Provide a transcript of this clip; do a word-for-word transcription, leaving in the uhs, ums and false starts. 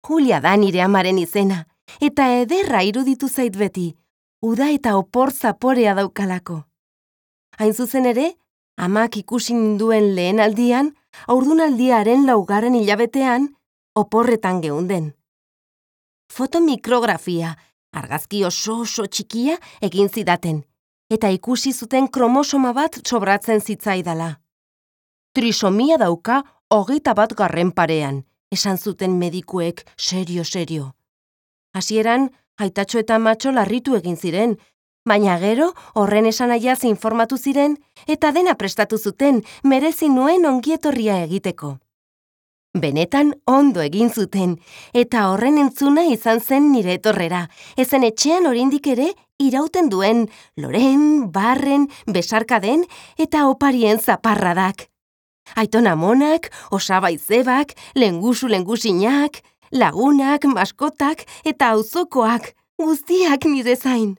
Julia da nire amaren izena, eta ederra iruditu zait beti, uda eta opor zaporea daukalako. Hain zuzen ere, amak ikusi ninduen lehen aldian, haurdunaldiaren laugarren hilabetean, oporretan geunden. Fotomikrografia, argazki oso oso txikia egin zidaten, eta ikusi zuten kromosoma bat sobratzen zitzaidala. Trisomia dauka hogeita bat garren parean, esan zuten medikuek serio-serio. Hasieran, aitatxo eta amatxo larritu egin ziren, baina gero horren esanaiaz informatu ziren eta dena prestatu zuten merezi nuen ongietorria egiteko. Benetan ondo egin zuten, eta horren entzuna izan zen nire etorrera, ezen etxean oraindik ere irauten duen loren, barren, besarkaden eta oparien zaparradak. Aiton amonak, osaba izebak, lengusu lengusinak, lagunak, maskotak eta auzokoak, guztiak nire zain.